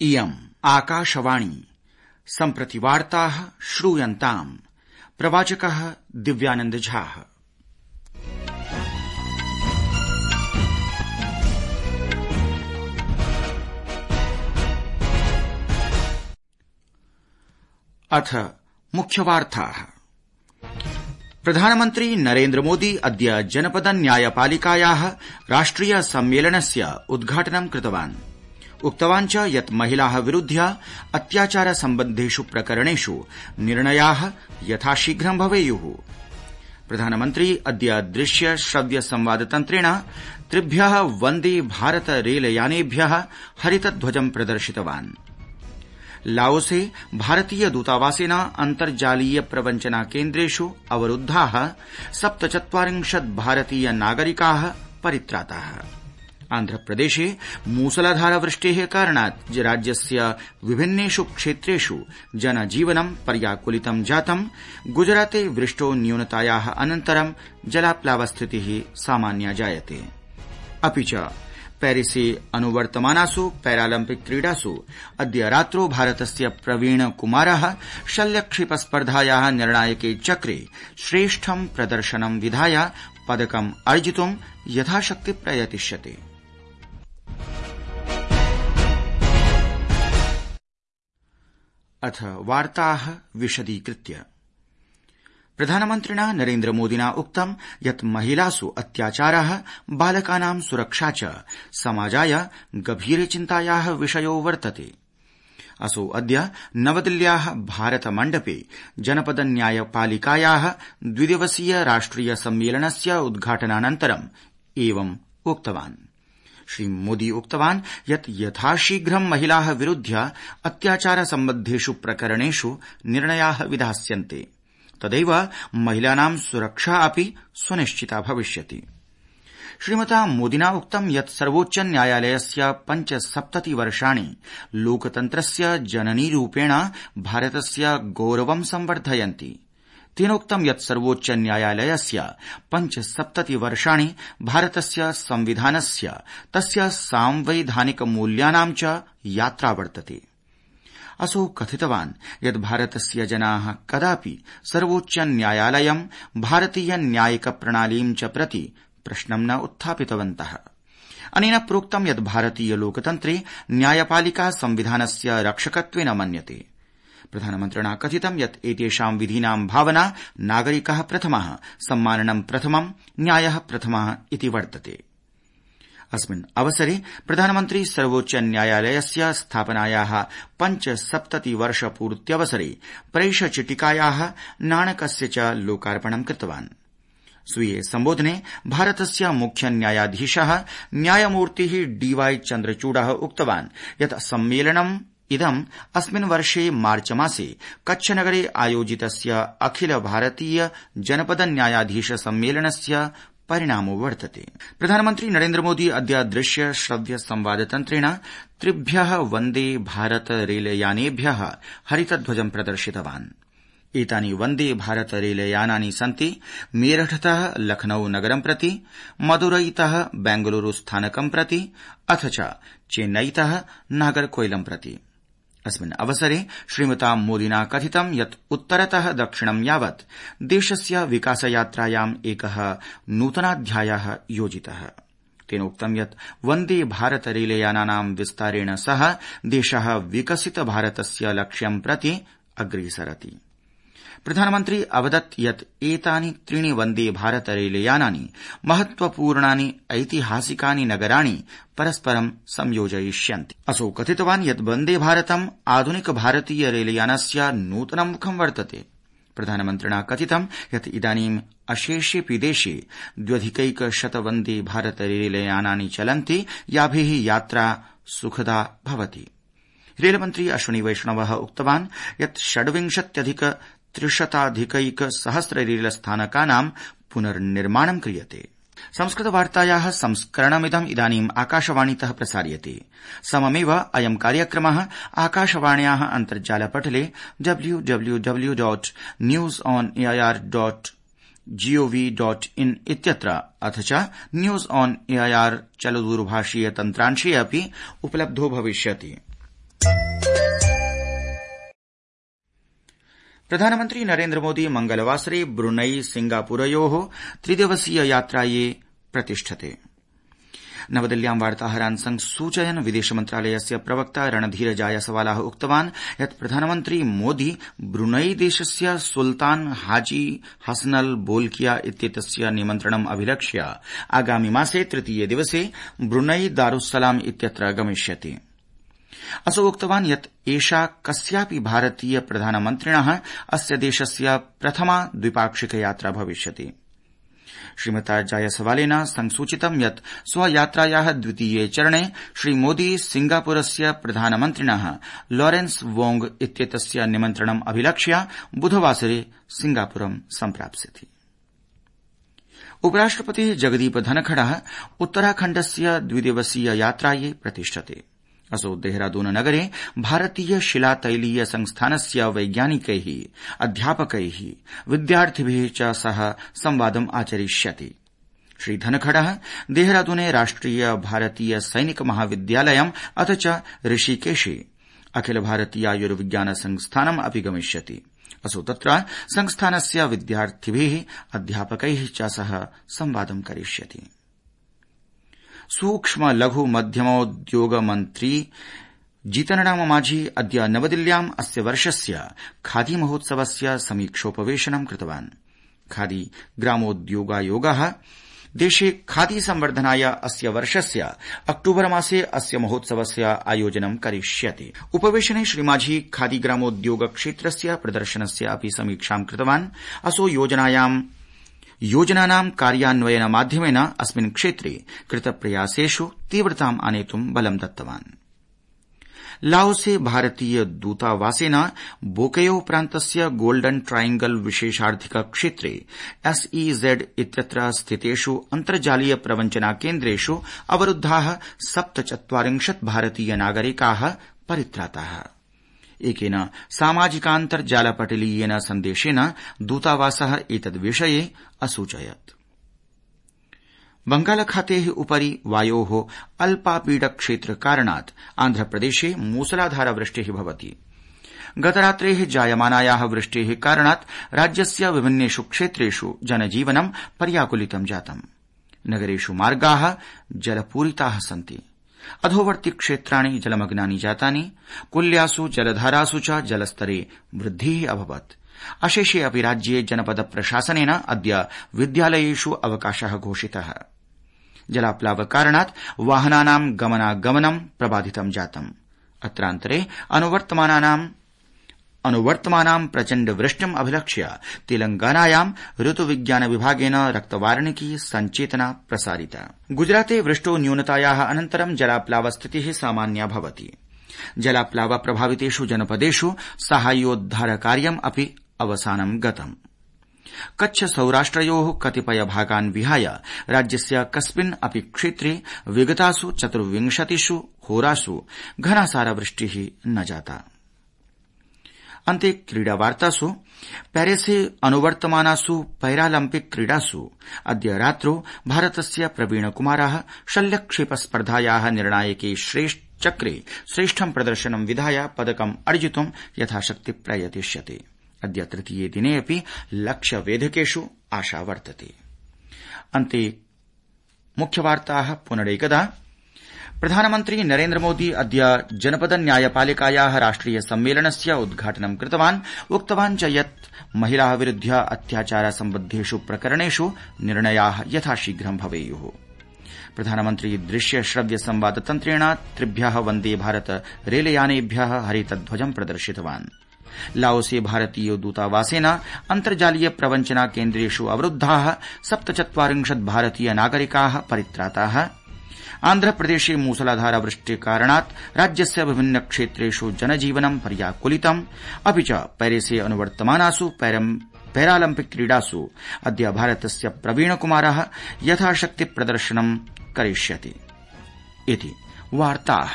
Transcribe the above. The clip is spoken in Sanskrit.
इयम् आकाशवाणी सम्प्रति वार्ताः श्रूयन्ताम्। प्रवाचकः दिव्यानंद झा। अथ मुख्यवार्ताः। प्रधानमन्त्री नरेन्द्र मोदी अद्य जनपद न्यायपालिकायाः राष्ट्रिय सम्मेलनस्य उद्घाटनं कृतवान्। उक्तवान् च यत् महिलाः विरुध्य अत्याचार सम्बद्धेषु प्रकरणेषु निर्णयाः यथाशीघ्रं भवेयुः। प्रधानमन्त्री अद्य दृश्य श्रव्य संवाद तन्त्रेण त्रिभ्यः वन्दे भारत रेलयानेभ्यः हरितध्वजं प्रदर्शितवान्। लाओसे भारतीय दूतावासेन अन्तर्जालीय प्रवञ्चना केन्द्रेषु अवरुद्धाः 47 भारतीय नागरिकाः परित्राताः। आन्ध्रप्रदेशे मूसलाधार वृष्टेः कारणात् राज्यस्य विभिन्नेषु क्षेत्रेषु जनजीवनं पर्याकुलितं जातम्। गुजराते वृष्टो न्यूनतायाः अनन्तरं जलाप्लावस्थितिः सामान्या जायते। अपि च पेरिसे अनुवर्तमानासु पैरालम्पिक क्रीडासु अद्य रात्रौ भारतस्य प्रवीण कुमारः शल्यक्षेपस्पर्धायाः निर्णायके चक्रे श्रेष्ठं प्रदर्शनं विधाय पदकम् अर्जितुं यथाशक्ति प्रयतिष्यते। अथ वार्ताः विशदीकृत्य। प्रधानमन्त्रिणा नरेन्द्र मोदिना उक्तं यत् महिलासु अत्याचारः, बालकानां सुरक्षा च समाजाय गभीरे चिन्तायाः विषयो वर्तते। असौ अद्य नवदिल्ल्याः भारत मण्डपे जनपद न्यायपालिकायाः द्विदिवसीय राष्ट्रिय सम्मेलनस्य उद्घाटनानन्तरम् एवम् उक्तवान्। श्रीमोदी उक्तवान् यत् यथाशीघ्रं महिलाः विरुध्य अत्याचार सम्बद्धेषु प्रकरणेषु निर्णयाः विधास्यन्ते। तदैव महिलानां सुरक्षा अपि सुनिश्चिता भविष्यति। श्रीमता मोदिना उक्तं यत् सर्वोच्च न्यायालयस्य 75 वर्षाणि लोकतन्त्रस्य जननीरूपेण भारतस्य गौरवं संवर्धयन्ति। तेनोक्तं यत् सर्वोच्च न्यायालयस्य 75 वर्षाणि भारतस्य संविधानस्य तस्य सांवैधानिक मूल्यानां च यात्रा वर्तते। असौ कथितवान् यत् भारतस्य जनाः कदापि सर्वोच्च न्यायालयं, भारतीय न्यायिक प्रणालीं च प्रति प्रश्नं न उत्थापितवन्तः। अनेन प्रोक्तं यत् भारतीय लोकतन्त्रे न्यायपालिका संविधानस्य रक्षकत्वेन मन्यते। प्रधानमन्त्रिणा कथितं यत् एतेषां विधीनां भावना नागरिकः प्रथमः, सम्माननं प्रथमं, न्यायः प्रथमः इति वर्तते। अस्मिन् अवसरे प्रधानमन्त्री सर्वोच्च न्यायालयस्य स्थापनायाः 75 वर्षपूर्त्यवसरे प्रैषचिटिकायाः नाणकस्य च लोकार्पणं कृतवान्। स्वीये सम्बोधने भारतस्य मुख्य न्यायाधीशः न्यायमूर्तिः DY चन्द्रचूडः उक्तवान् यत् सम्मेलनम् इदम् अस्मिन् वर्षे मार्च मासे कच्छनगरे आयोजितस्य अखिल भारतीय जनपद न्यायाधीश सम्मेलनस्य परिणामो वर्तते। प्रधानमन्त्री नरेन्द्र मोदी अद्य दृश्य श्रव्य संवाद तन्त्रेण त्रिभ्यः वन्दे भारत रेलयानेभ्यः हरितध्वजं प्रदर्शितवान्। एतानि वन्दे भारत रेलयानानि सन्ति मेरठतः लखनऊ नगरं प्रति, मदुरैतः बेंगलुरु स्थानकं प्रति, अथ च चेन्नईतः नागरकोइलं प्रति। अस्मिन् अवसरे श्रीमता मोदिना कथितं यत् उत्तरतः दक्षिणं यावत् देशस्य विकासयात्रायाम् एकः नूतनाध्यायः योजितः। तेनोक्तं यत् वन्दे भारत रेलयानानां विस्तारेण सह देशः विकसित भारतस्य लक्ष्यं प्रति अग्रेसरति। प्रधानमन्त्री अवदत् यत् एतानि 3 वन्दे भारत रेलयानानि महत्वपूर्णानि ऐतिहासिकानि नगराणि परस्परं संयोजयिष्यन्ति। असौ कथितवान् यत् वन्दे भारतम् आधुनिक भारतीय रेलयानस्य नूतनं मुखं वर्तते। प्रधानमन्त्रिणा कथितं यत् इदानीं अशेषेऽपि देशे 2,100 वन्दे भारत रेलयानानि चलन्ति, याभिः यात्रा सुखदा भवति। रेलमन्त्री अश्विनी वैष्णवः उक्तवान् यत् 26,300 रेलस्थानकानां पुनर्निर्माणं क्रियते। संस्कृतवार्तायाः संस्करणमिदम् इदानीम् आकाशवाणीतः प्रसार्यते। सममेव अयं कार्यक्रमः आकाशवाण्याः अन्तर्जालपटले www.newsonair.gov.in इत्यत्र अथ च न्यूज ऑन एआईआर चलदूरभाषीय तन्त्रांशे अपि उपलब्धो भविष्यति। प्रधानमन्त्री नरेन्द्र मोदी मंगलवासरे ब्रुनई सिंगापुरयोः 3 दिवसीय यात्रायै प्रतिष्ठते। नवदिल्ल्यां वार्ताहरान् संसूचयन् विदेश मन्त्रालयस्य प्रवक्ता रणधीर जायसवालः उक्तवान् यत् प्रधानमन्त्री मोदी ब्रुनई देशस्य सुल्तान हाजी हसनल बोल्किया इत्येतस्य निमन्त्रणम् अभिलक्ष्य आगामि मासे 3 दिवसे ब्रुनई दारुस्सलाम इत्यत्र गमिष्यति। असौ उक्तवान् यत् एषा कस्यापि भारतीय प्रधानमन्त्रिणः अस्य देशस्य प्रथमा द्विपाक्षिक यात्रा भविष्यति। श्रीमता जायसवालेन संसूचितं यत् स्वयात्रायाः द्वितीये चरणे श्रीमोदी सिंगापुरस्य प्रधानमन्त्रिणः लॉरेंस वोंग इत्येतस्य निमन्त्रणम् अभिलक्ष्य बुधवासरे सिंगापुरं सम्प्राप्स्यति। उपराष्ट्रपतिः जगदीप धनखडः उत्तराखण्डस्य 2 दिवसीय यात्रायै प्रतिष्ठते। असौ देहरादून नगरे भारतीय शिलातैलीय संस्थानस्य वैज्ञानिकैः अध्यापकैः विद्यार्थिभिः च सह संवादम् आचरिष्यति। श्री धनखडः देहरादूने राष्ट्रिय भारतीय सैनिक महाविद्यालयम् अथ च ऋषिकेशे अखिल भारतीयायुर्विज्ञान संस्थानम् अपि गमिष्यति। असौ तत्र संस्थानस्य विद्यार्थिभिः अध्यापकैः च सह संवादं करिष्यति। सूक्ष्म लघु मध्यमोद्योग मन्त्री जीतनराम मांझी अद्य नवदिल्ल्याम् अस्य वर्षस्य खादी महोत्सवस्य समीक्षोपवेशनं कृतवान्। खादी ग्रामोद्योगायोगः देशे खादी संवर्धनाय अस्य वर्षस्य अक्टूबर मासे अस्य महोत्सवस्य आयोजनं करिष्यति। उपवेशने श्री मांझी खादी ग्रामोद्योग क्षेत्रस्य प्रदर्शनस्य अपि समीक्षां कृतवान्। असौ योजनानां कार्यान्वयन माध्यमेन अस्मिन् क्षेत्रे कृतप्रयासेषु तीव्रताम् आनेतुं बलं दत्तवान्। लाओसे भारतीय दूतावासेन बोकेयो प्रान्तस्य गोल्डन ट्रायंगल विशेषार्थिक क्षेत्रे SEZ इत्यत्र स्थितेषु अन्तर्जालीय प्रवञ्चना केन्द्रेषु अवरुद्धाः 47 भारतीय नागरिकाः परित्राताः। एकेन सामाजिकान्तर्जालपटलीयेन सन्देशेन दूतावासः एतद्विषये असूचयत्। बंगालखातेः उपरि वायोः अल्पापीडक्षेत्र कारणात् आन्ध्रप्रदेशे मूसलाधार वृष्टिः भवति। गतरात्रेः जायमानायाः वृष्टेः कारणात् राज्यस्य विभिन्नेषु क्षेत्रेषु जनजीवनं पर्याकुलितं जातम्। नगरेषु मार्गाः जलपूरिताः सन्ति। अधोवर्ति क्षेत्राणि जलमग्नानि जातानि। कुल्यासु जलधारासु च जलस्तरे वृद्धिः अभवत्। अशेषे अपि राज्ये जनपद प्रशासनेन अद्य विद्यालयेषु अवकाशः घोषितः। जलाप्लावकारणात् वाहनानां गमनागमनं प्रबाधितं जातम्। अत्रान्तरे अनुवर्तमानां प्रचण्ड वृष्टिम् अभिलक्ष्य तेलंगानायां ऋतुविज्ञान विभागेन रक्तवार्णिकी सञ्चेतना प्रसारिता। गुजराते वृष्टो न्यूनतायाः अनन्तरं जलाप्लावस्थितिः सामान्या भवति। जलाप्लाव प्रभावितेषु जनपदेषु साहाय्योद्धार कार्यम् अपि अवसानं गतम्। कच्छ सौराष्ट्रयोः कतिपय भागान् विहाय राज्यस्य कस्मिन् अपि क्षेत्रे विगतासु 24 होरासु घनासारवृष्टिः न जाता। अन्ते क्रीडावार्तासु पेरिसे अनुवर्तमानासु पैरालम्पिक क्रीडासु अद्य रात्रौ भारतस्य प्रवीणकुमारः शल्यक्षेपस्पर्धायाः निर्णायके चक्रे श्रेष्ठं प्रदर्शनं विधाय पदकम् अर्जितुं यथाशक्ति प्रयतिष्यते। अद्य तृतीये दिने अपि लक्ष्यवेधकेषु आशा वर्तते। अन्ते मुख्यवार्ताः पुनरेकदा। प्रधानमन्त्री नरेन्द्र मोदी अद्य जनपद न्यायपालिकायाः राष्ट्रिय सम्मेलनस्य उद्घाटनं कृतवान्। उक्तवान् च यत् महिलाः विरुध्य अत्याचार सम्बद्धेषु प्रकरणेषु निर्णयाः यथाशीघ्रं भवेयुः। प्रधानमन्त्री दृश्य श्रव्य संवाद तन्त्रेण 3 वन्दे भारत रेलयानेभ्यः हरितध्वजं प्रदर्शितवान्। लाओसे भारतीय दूतावासेन अन्तर्जालीय प्रवञ्चना केन्द्रेषु अवरुद्धाः 47 भारतीय नागरिकाः परित्राताः। आन्ध्रप्रदेशे मूसलाधार वृष्टिकारणात् राज्यस्य विभिन्न क्षेत्रेषु जनजीवनं पर्याकुलितम्। अपि च पेरिसे अनुवर्तमानासु पैरालम्पिक क्रीडासु अद्य भारतस्य प्रवीणकुमारः यथाशक्ति प्रदर्शनं करिष्यति। इति वार्ताः।